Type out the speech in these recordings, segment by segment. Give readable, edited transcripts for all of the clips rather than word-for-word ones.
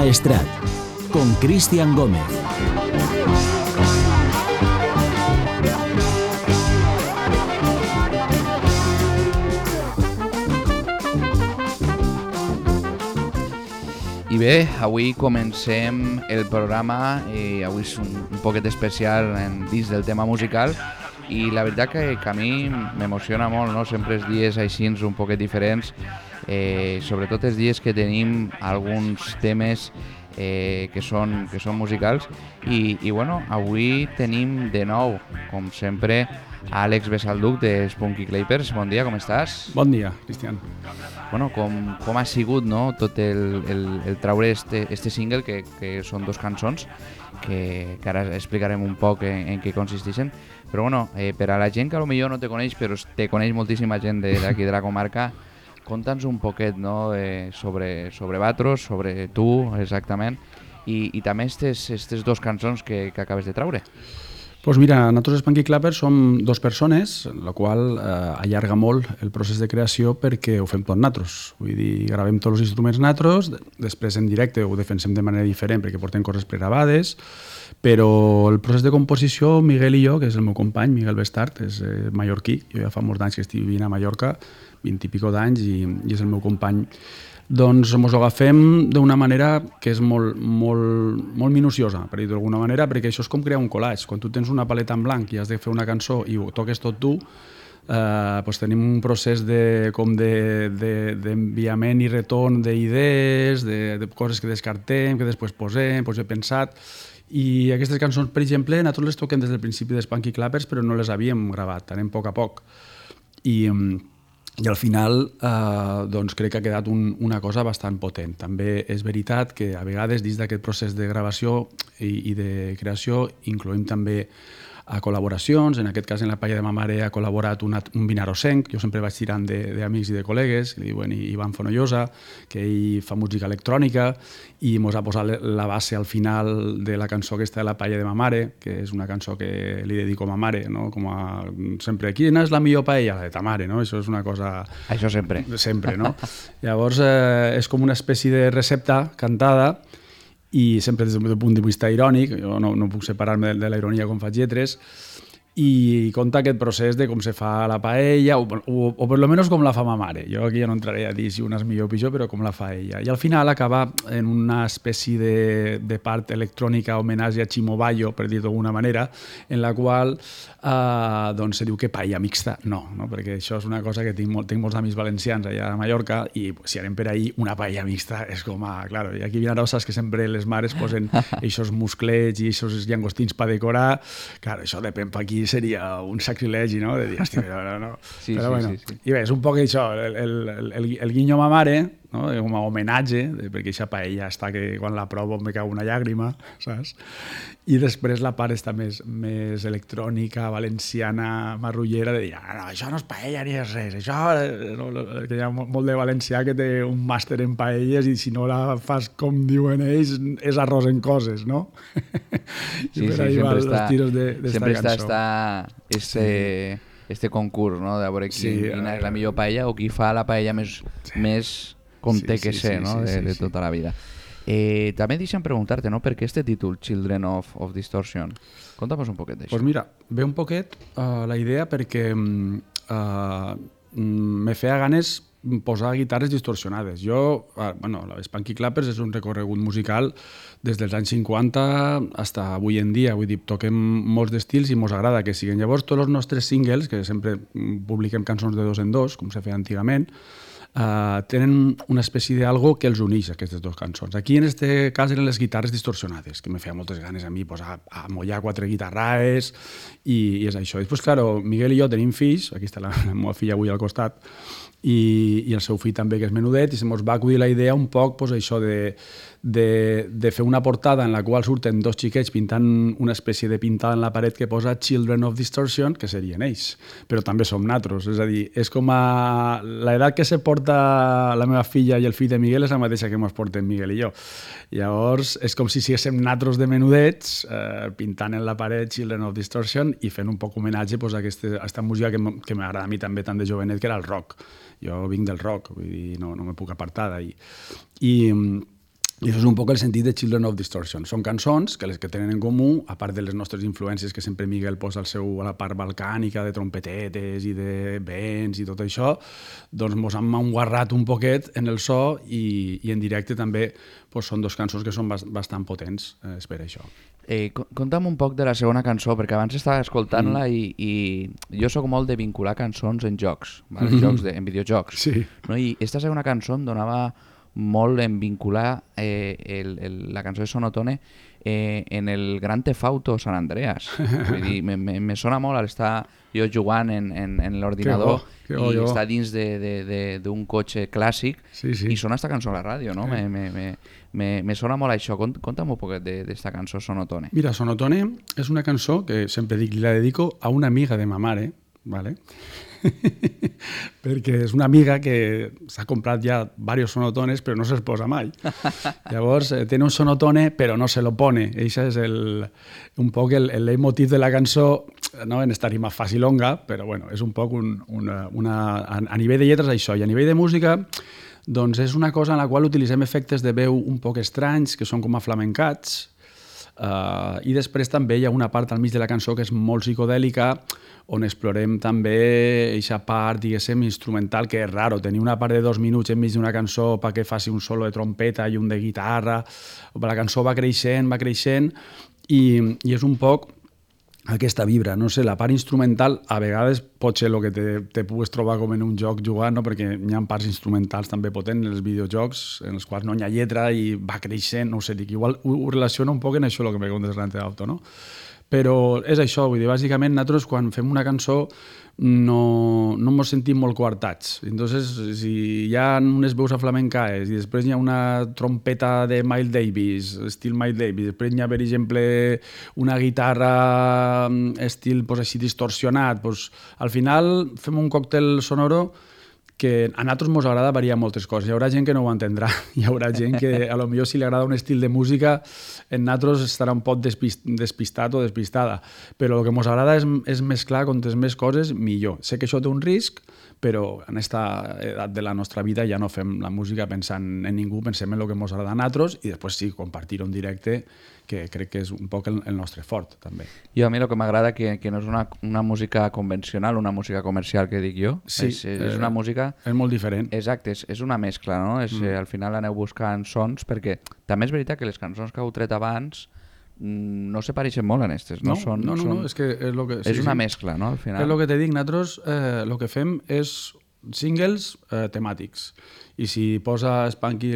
Maestrat, con Cristian Gómez. I bé, avui comencem el programa i avui és un poquet especial dins del tema musical i la veritat que a mi m'emociona molt, no? Sempre els dies així un poquet diferents, sobretot els dies que tenim alguns temes que són musicals i bueno, avui tenim de nou, com sempre, Àlex Besalduc de Spunky Clappers. Bon dia, com estàs? Bon dia, Cristian. Bueno, com ha sigut, no? Tot el traure este single, que són dos cançons, que ara explicarem un poc en què consisteixen. Però bueno, per a la gent que potser no te coneix, però te coneix moltíssima gent d'aquí de la comarca, conta'ns un poquet, no? sobre Vatros, sobre tu exactament, i també aquestes dos cançons que acabes de traure. Doncs mira, nosaltres Spunky Clappers som dos persones, la qual allarga molt el procés de creació perquè ho fem tot nosaltres. Vull dir, gravem tots els instruments nosaltres, després en directe ho defensem de manera diferent perquè portem coses pregravades, però el procés de composició, Miguel i jo, que és el meu company, Miguel Bestart, és mallorquí, jo ja fa molts anys que estic vivint a Mallorca, 20 i pico d'anys, i és el meu company. Doncs ens ho agafem d'una manera que és molt minuciosa, per dir-ho d'alguna manera, perquè això és com crear un collage. Quan tu tens una paleta en blanc i has de fer una cançó i ho toques tot tu, doncs tenim un procés d'enviament i retorn d'idees, de coses que descartem, que després posem, doncs he pensat. I aquestes cançons, per exemple, nosaltres les toquem des del principi de Spunky Clappers, però no les havíem gravat, anem a poc a poc. I al final doncs crec que ha quedat una cosa bastant potent. També és veritat que a vegades dins d'aquest procés de gravació i de creació incloem també a col·laboracions. En aquest cas, en la paella de ma mare ha col·laborat un vinarosenc. Jo sempre vaig tirant d'amics i de col·legues, que li diuen Ivan Fonollosa, que ell fa música electrònica i ens ha posat la base al final de la cançó aquesta de la paella de ma mare, que és una cançó que li dedico a ma mare, no? Com a sempre, quina és la millor paella? La de ta mare, no? Això és una cosa... Això sempre. Sempre, no? Llavors és com una espècie de recepta cantada i sempre des del punt de vista irònic, jo no puc separar-me de la ironia quan faig lletres, i conta aquest procés de com se fa la paella, o per lo menos com la fa ma mare. Jo aquí ja no entraré a dir si una és millor o pitjor, però com la fa ella. I al final acaba en una espècie de part electrònica, homenatge a Chimo Bayo, per dir-ho d'alguna manera, en la qual doncs se diu que paella mixta. No, perquè això és una cosa que tinc molts amics valencians allà a Mallorca, i si anem per ahí, una paella mixta és com a... Claro, i aquí vinaroses que sempre les mares posen eixos musclets i eixos llangostins per decorar. Claro, això depèn per aquí seria un sacrilegi, no? De dir, hòstia, no. Sí, però bueno. Sí. I bé, és un poc això, el guinyo a ma mare, no? Com a homenatge, perquè aquesta paella està que quan la provo me cau una llàgrima, saps? I després la part està més electrònica, valenciana, marrullera, de dir, no, això no és paella ni és res, això... No, que hi ha molt de valencià que té un màster en paelles i si no la fas com diuen ells, és arròs en coses, no? Sí, sempre està este concurs, no? De veure quina és la millor paella o qui fa la paella més com té que ser, no? De tota la vida. També deixa'm preguntar-te, no? Per què este títol, Children of Distortion? Conta'm un poquet d'això. Doncs mira, ve un poquet la idea perquè me feia ganes posar guitarres distorsionades. Jo, la Spunky Clappers és un recorregut musical des dels anys 50 fins avui en dia. Vull dir, toquem molts d'estils i mos agrada que siguin. Llavors, tots els nostres singles, que sempre publiquem cançons de dos en dos, com se feia antigament, tenen una espècie d'algo que els uneix, aquestes dues cançons. Aquí, en aquest cas, eren les guitarres distorsionades, que me feia moltes ganes a mi posar a mollar 4 guitarraes, i és això. Després, claro, Miguel i jo tenim fills, aquí està la meva filla avui al costat, i el seu fill també, que és menudet, i se mos va acudir la idea un poc, pues, això de fer una portada en la qual surten dos xiquets pintant una espècie de pintada en la paret que posa Children of Distortion, que serien ells, però també som natros, és a dir, és com a... l'edat que se porta la meva filla i el fill de Miguel és la mateixa que mos porten Miguel i jo. Llavors, és com si siguéssim natros de menudets pintant en la paret Children of Distortion i fent un poc homenatge a aquesta música que m'agrada a mi també tant de jovenet, que era el rock. Jo vinc del rock, vull dir, no me puc apartar d'ahir. I això és un poc el sentit de Children of Distortion. Són cançons que les que tenen en comú, a part de les nostres influències que sempre Miguel posa a la part balcànica de trompetetes i de vents i tot això, doncs mos han enguarrat un poquet en el so i en directe també són dos cançons que són bastant potents, és per això. Conta'm un poc de la segona cançó, perquè abans estava escoltant-la i jo sóc molt de vincular cançons en jocs, en videojocs. Sí. No? I aquesta segona cançó em donava molt en vincular la cançó de Sonotone en el Grand Theft Auto San Andreas. Vull dir, me sona molt al estar jo jugant en l'ordinador i estar dins d'un cotxe clàssic i sona aquesta cançó a la ràdio, no? Me sona molt això. Conta'm un poquet d'esta cançó Sonotone. Mira, Sonotone és una cançó que sempre dic, la dedico a una amiga de ma mare, ¿vale? perquè és una amiga que s'ha comprat ja diversos sonotones però no se'ls posa mai. Llavors té un sonotone però no se lo pone. Això és un poc el leitmotiv de la cançó, no en esta rima facilonga, però bueno, és un poc a nivell de lletres això, i a nivell de música doncs és una cosa en la qual utilitzem efectes de veu un poc estranys, que són com a flamencats, i després també hi ha una part al mig de la cançó que és molt psicodèlica, on explorem també aquesta part, diguéssim, instrumental, que és raro, tenir una part de 2 minuts enmig d'una cançó perquè faci un solo de trompeta i un de guitarra. La cançó va creixent, i és un poc aquesta vibra, no sé, la part instrumental a vegades pot ser el que te pugues trobar com en un joc jugant, no? Perquè hi ha parts instrumentals també potents en els videojocs en els quals no hi ha lletra i va creixent, no sé, dic, igual ho relaciona un poc en això el que me contes Grand Theft Auto, no? Però és això, vull dir, bàsicament nosaltres quan fem una cançó no ens sentim molt coartats. Entonces, si hi ha unes veus aflamencaes i després hi ha una trompeta de Miles Davis, estil Miles Davis, després hi ha, per exemple, una guitarra estil així distorsionat, al final fem un còctel sonoro que a nosaltres ens agrada variar moltes coses. Hi haurà gent que no ho entendrà. Hi haurà gent que, a lo millor, si li agrada un estil de música, en nosaltres estarà un poc despistat o despistada. Però el que ens agrada és mesclar quantes més coses, millor. Sé que això té un risc, però en aquesta edat de la nostra vida ja no fem la música pensant en ningú, pensem en el que ens agrada a nosaltres i després sí, compartir-ho en directe, que crec que és un poc el nostre fort, també. Jo a mi el que m'agrada que no és una música convencional, una música comercial, que dic jo. Sí, és una música... És molt diferent. Exacte, és una mescla, no? Al final aneu buscant sons, perquè també és veritat que les cançons que heu tret abans no se pareixen molt en aquestes, no? No, és que és lo que... És una mescla, no? Al final. És el que te dic, nosaltres el que fem és singles temàtics. I si posa Spanky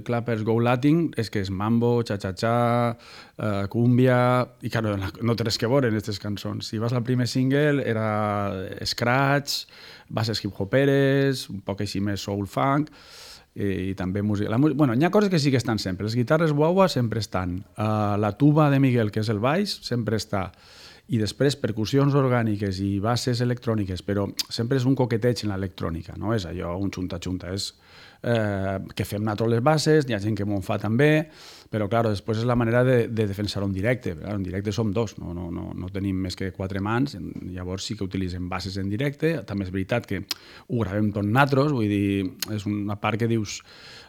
Clappers Go Latin, és que és mambo, cha-cha-cha, cumbia... I claro, no té res que veure en aquestes cançons. Si vas al primer single, era scratch, bases hip-hoperes, un poc així més soul funk, i també música. Bueno, hi ha coses que sí que estan sempre. Les guitarres guagua sempre estan. La tuba de Miguel, que és el baix, sempre està. I després percussions orgàniques i bases electròniques, però sempre és un coqueteig en l'electrònica, no és allò un xunta-xunta, és que fem nosaltres les bases, hi ha gent que m'ho fa també, però clar, després és la manera de defensar-ho en directe. En directe som dos, no tenim més que 4 mans, llavors sí que utilitzem bases en directe. També és veritat que ho gravem tot nosaltres, vull dir, és una part que dius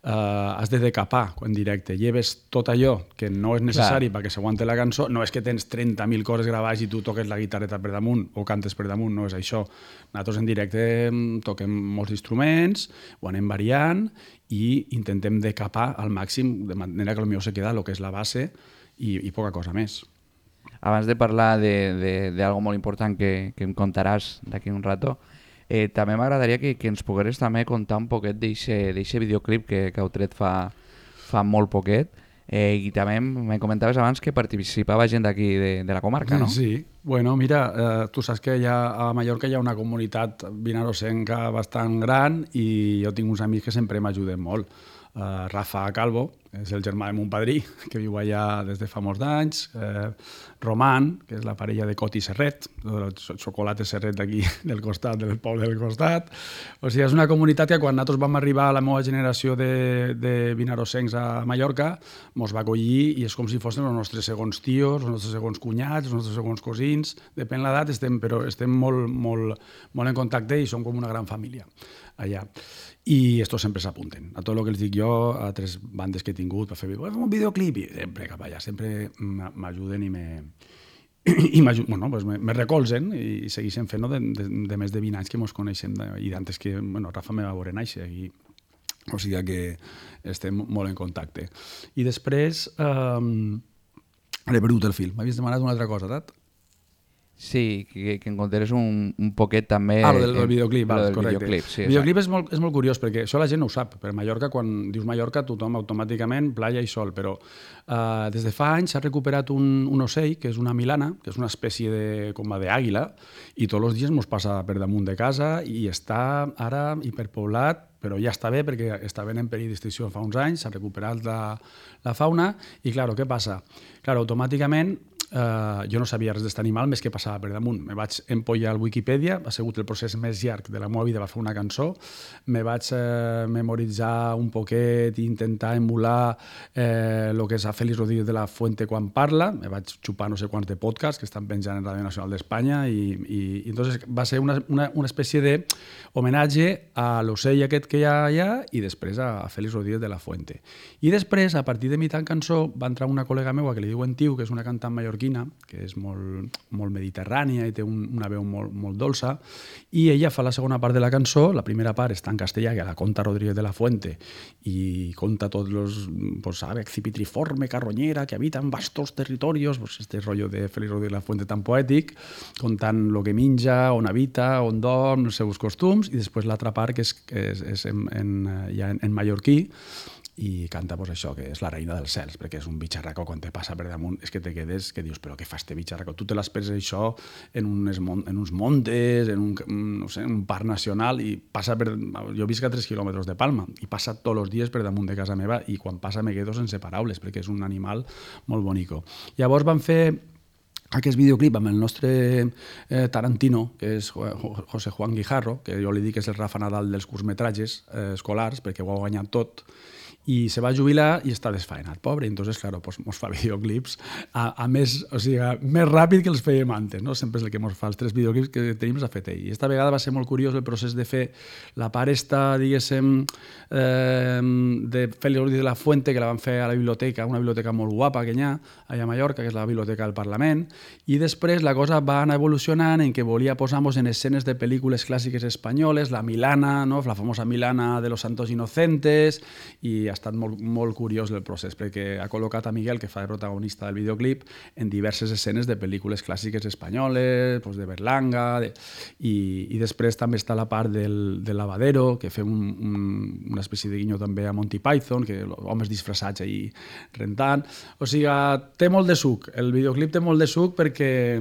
has de decapar en directe, lleves tot allò que no és necessari perquè s'aguante la cançó, no és que tens 30.000 coses gravades i tu toques la guitarreta per damunt o cantes per damunt, no és això. Nosaltres en directe toquem molts instruments, ho anem variant i intentem decapar al màxim, de manera que potser se queda el que és la base i poca cosa més. Abans de parlar d'algo molt important que em contaràs d'aquí un rato, també m'agradaria que ens pogueres també contar un poquet d'eixe videoclip que heu tret fa molt poquet, i també me comentaves abans que participava gent d'aquí de la comarca, no? Sí, bueno, mira, tu saps que a Mallorca hi ha una comunitat vinarosenca bastant gran i jo tinc uns amics que sempre m'ajuden molt. Rafa Calvo, és el germà de mon padrí, que viu allà des de fa molts d'anys, Roman, que és la parella de Coti Serret, el xocolate Serret d'aquí del costat, del poble del costat. O sigui, és una comunitat que quan nosaltres vam arribar a la meva generació de vinarosencs a Mallorca, mos va acollir i és com si fossin els nostres segons tios, els nostres segons cunyats, els nostres segons cosins, depèn l'edat, però estem molt en contacte i som com una gran família. allà. I estos sempre s'apunten. A tot el que els dic jo, a 3 bandes que he tingut per fer un videoclip, i sempre cap allà, sempre m'ajuden i me recolzen i segueixen fent de més de 20 anys que ens coneixem i d'antes que Rafa me va veure néixer o sigui que estem molt en contacte. I després he perdut el fil. M'havies demanat una altra cosa, Tat? Sí, que em contés un poquet també... Lo del videoclip, correcte. Videoclip, sí, el videoclip és molt curiós, perquè això la gent no ho sap. Per Mallorca, quan dius Mallorca, tothom automàticament playa i sol, però des de fa anys s'ha recuperat un ocell, que és una milana, que és una espècie com d'àguila, i tots els dies ens passa per damunt de casa i està ara hiperpoblat, però ja està bé perquè estaven en perill d'extinció fa uns anys, s'ha recuperat la fauna i, clar, què passa? Clar, automàticament jo no sabia res d'aquest animal més que passava per damunt. Me vaig empollar al Wikipedia, ha sigut el procés més llarg de la meva vida per fer una cançó, me vaig memoritzar un poquet i intentar emular el que és a Félix Rodríguez de la Fuente quan parla, me vaig xupar no sé quants de podcasts que estan penjant en Ràdio Nacional d'Espanya i entonces va ser una espècie d'homenatge a l'ocell aquest que hi ha allà i després a Félix Rodríguez de la Fuente. I després, a partir de mitjan cançó, va entrar una col·lega meva que li diuen Tiu, que és una cantant mallorquina, que és molt mediterrània i té una veu molt dolça, i ella fa la segona part de la cançó. La primera part està en castellà, que la conta Rodríguez de la Fuente, i conta tots los ave cipitriforme, carroñera, que habita en vastos territorios, este rollo de Félix Rodríguez de la Fuente tan poètic, contant lo que menja, on habita, on dorm, els seus costums, i després l'altra part que és en mallorquí, i canta això, que és la reina dels cels, perquè és un bitxarraco, quan te passa per damunt és que te quedes, que dius, però què fa este bitxarraco? Tu te l'esperes això en uns montes, en un parc nacional, i passa per... Jo visc a 3 quilòmetres de Palma, i passa tots els dies per damunt de casa meva, i quan passa me quedo sense paraules, perquè és un animal molt bonico. Llavors van fer aquest videoclip amb el nostre Tarantino, que és José Juan Guijarro, que jo li dic que és el Rafa Nadal dels curtmetratges escolars, perquè ho ha guanyat tot, i se va jubilar i està desfaenat, pobre. Entonces, claro, ens fa videoclips més ràpid que els fèiem antes, no? Sempre és el que ens fa els 3 videoclips que tenim s'ha fet ell. I esta vegada va ser molt curiós el procés de fer la part diguéssim, de Félix Rodríguez de la Fuente, que la van fer a la biblioteca, una biblioteca molt guapa que hi ha allà a Mallorca, que és la Biblioteca del Parlament, i després la cosa va anar evolucionant en què volia posar-nos en escenes de pel·lícules clàssiques espanyoles, la Milana, no? La famosa Milana de los Santos Inocentes, i ha estat molt curiós el procés, perquè ha col·locat a Miguel, que fa de protagonista del videoclip, en diverses escenes de pel·lícules clàssiques espanyoles, de Berlanga, i després també està la part del lavadero, que fem una espècie de guinyo també a Monty Python, que homes disfressats ahí rentant. O sigui, té molt de suc. El videoclip té molt de suc perquè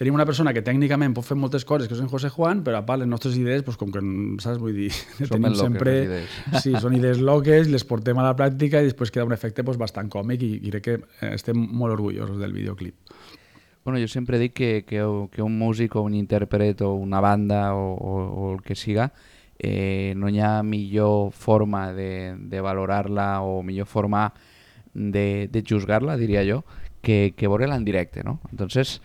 tenim una persona que tècnicament pot fer moltes coses, que és en José Juan, però a part les nostres idees, com que, saps, vull dir, tenim sempre... Sí, són idees loques, les portem a la pràctica i després queda un efecte bastant còmic i crec que estem molt orgullosos del videoclip. Bueno, jo sempre dic que un músic o un intèrpret o una banda o el que siga, no hi ha millor forma de valorar-la o millor forma de juzgar-la, diria jo, que veure-la en directe, ¿no? Entonces,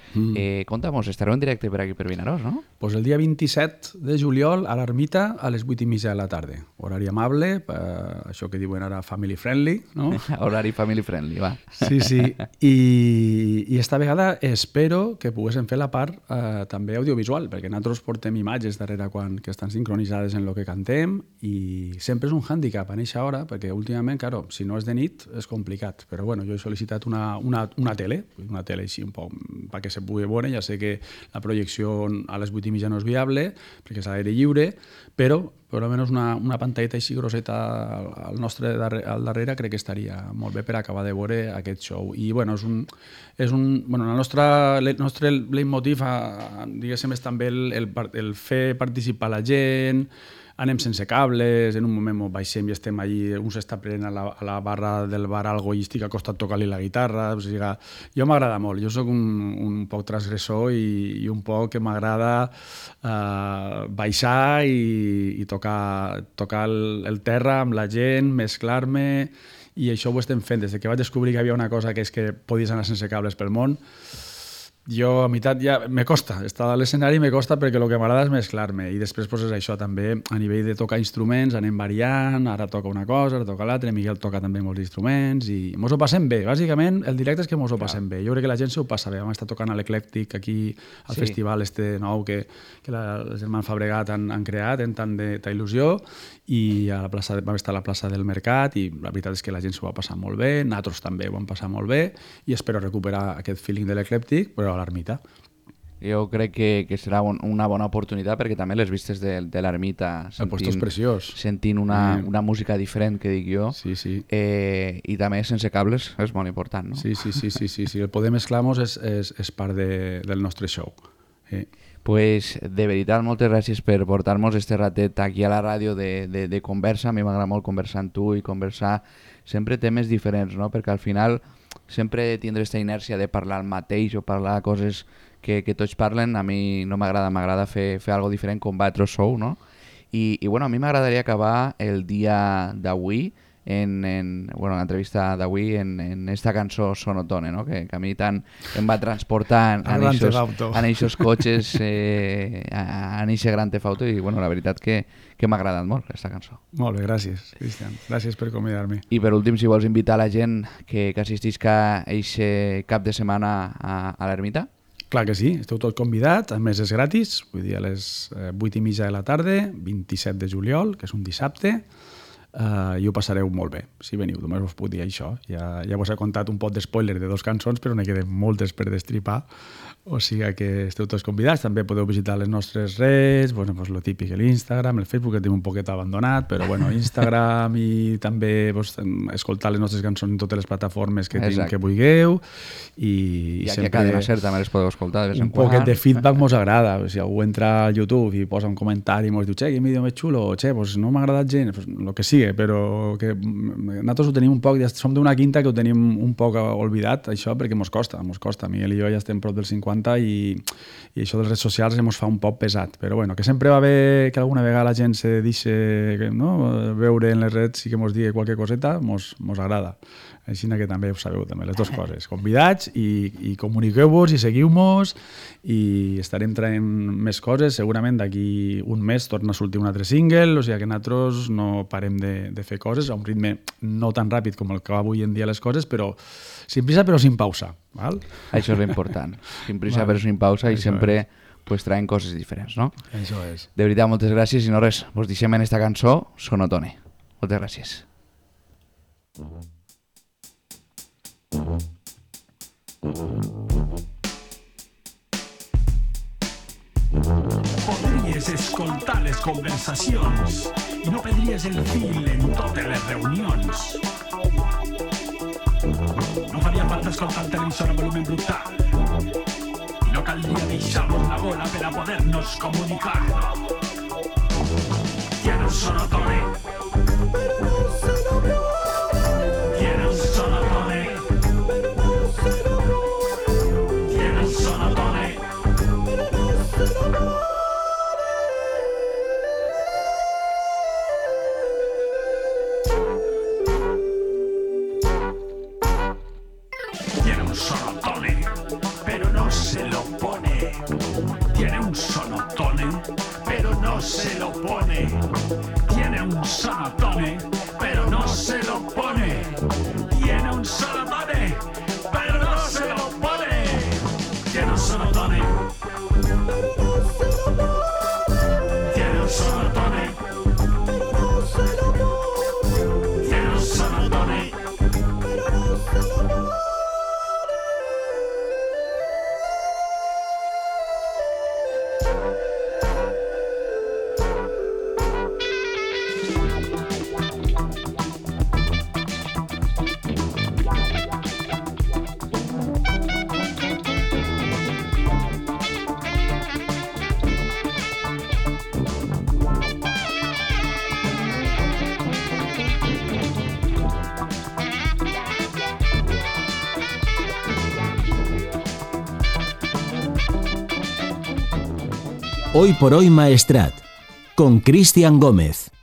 contamos, estareu en directe per aquí per Vinaròs, ¿no? Pues el dia 27 de juliol a l'Ermita a les 8:30 de la tarda. Horari amable, això que diuen ara family friendly, no? Horari family friendly, va. Sí, sí. I esta vegada espero que poguéssim fer la part també audiovisual, perquè nosaltres portem imatges darrere que estan sincronitzades en el que cantem i sempre és un hàndicap a eixa hora, perquè últimament, claro, si no és de nit és complicat. Però bueno, jo he sol·licitat una tele així un poc perquè se pugui veure. Ja sé que la projecció a les 8:30 no és viable perquè és a l'aire lliure, però almenys una pantalleta així grosseta al darrere crec que estaria molt bé per acabar de veure aquest show. I bueno, el nostre leitmotiv, diguéssim, és també el fer participar la gent. Anem sense cables, en un moment baixem i estem allí, un s'està prenent a la barra del bar algo i estic acostat tocant-li la guitarra. O sigui, jo m'agrada molt, jo soc un poc transgressor i un poc que m'agrada baixar i tocar el terra amb la gent, mesclar-me, i això ho estem fent des que vaig descobrir que hi havia una cosa que és que podies anar sense cables pel món. Jo, a meitat, ja me costa. Estar a l'escenari me costa perquè el que m'agrada és mesclar-me. I després pues, és això, també a nivell de tocar instruments, anem variant, ara toca una cosa, ara toca l'altra, Miguel toca també molts instruments i mos ho passem bé. Bàsicament, el directe és que mos ho passem bé. Jo crec que la gent s'ho passa bé. Vam estar tocant a l'Eclèctic aquí, al festival nou que els germans Fabregat han creat, en tant d'il·lusió, i vam estar a la plaça del Mercat i la veritat és que la gent s'ho va passar molt bé, nosaltres també ho vam passar molt bé i espero recuperar aquest feeling de l'Eclèctic, però a l'Ermita. Jo crec que serà una bona oportunitat perquè també les vistes de l'Ermita sentint una música diferent, que dic jo, i també sense cables és molt important, no? Sí. El poder mesclar-nos és part del nostre show. Pues de veritat, moltes gràcies per portar-nos este ratet aquí a la ràdio de conversa. A mi m'agrada molt conversar amb tu i conversar sempre temes diferents, no? Perquè al final sempre tindre aquesta inèrcia de parlar el mateix o parlar coses que tots parlen, a mi no m'agrada, m'agrada fer algo diferent com vosaltres sou, no? I bueno, a mi m'agradaria acabar el dia d'avui en l'entrevista d'avui en esta cançó Sonotone, no? Que a mi tant em va transportar en aquests cotxes, en aquest Gran Theft Auto, i bueno, la veritat que m'ha agradat molt aquesta cançó. Molt bé, gràcies, Cristian. Gràcies per convidar-me. I per últim, si vols invitar la gent que assistisca a aquest cap de setmana a l'Ermita? Clar que sí, esteu tots convidats, a més és gratis, vull dir a les 8:30 de la tarda, 27 de juliol, que és un dissabte, i ho passareu molt bé, si veniu, només us puc dir això. Ja vos he contat un pot d'espoiler de 2 cançons, però n'hi queden moltes per destripar, o sigui que esteu tots convidats. També podeu visitar les nostres redes, lo típic, l'Instagram, el Facebook, que tenim un poquet abandonat, però Instagram, i també escoltar les nostres cançons en totes les plataformes que vulgueu. I aquí a Cadena Ser també les podeu escoltar de vez en quan. Un poquet de feedback mos agrada. Si algú entra al YouTube i posa un comentari i mos diu, quin vídeo més xulo, o no m'ha agradat gens, el que sigui, però que nosaltres ho tenim un poc, som d'una quinta que ho tenim un poc oblidat, això, perquè mos costa. Miguel i jo ja estem prop del 50 i això de les redes socials ens fa un poc pesat, però bueno, que sempre va bé que alguna vegada la gent se deixi veure en les redes i que mos digui qualque coseta, mos agrada. Així que també ho sabeu, també, les 2 coses. Convidats i comuniqueu-vos i seguiu-nos i estarem traient més coses. Segurament d'aquí un mes torna a sortir un altre single, o sigui que nosaltres no parem de fer coses a un ritme no tan ràpid com el que va avui en dia les coses, però sin prisa però sin pausa. Val? Això és l'important. Sin prisa però sin pausa i sempre traient coses diferents, no? Això és. De veritat, moltes gràcies i no res, vos deixem en esta cançó Sonotone. Moltes gràcies. Podries escoltar les conversacions i no perdries el fil en totes les reunions. No faria falta escoltar el televisor a volumen brutal i no caldria deixar-nos la bola per a poder-nos comunicar. Tiene un sonotone. Tiene un sonotone. Tiene un sonotone. Tiene un sonotone, pero no se lo pone. Tiene un sonotone, pero no se lo pone. Tiene un sonotone, pero no se lo pone. Tiene un sonotone, pero no se lo pone. Tiene un sonotone. Tiene un sonotone. Tiene un sonotone. Hoy por hoy Maestrat, con Cristian Gómez.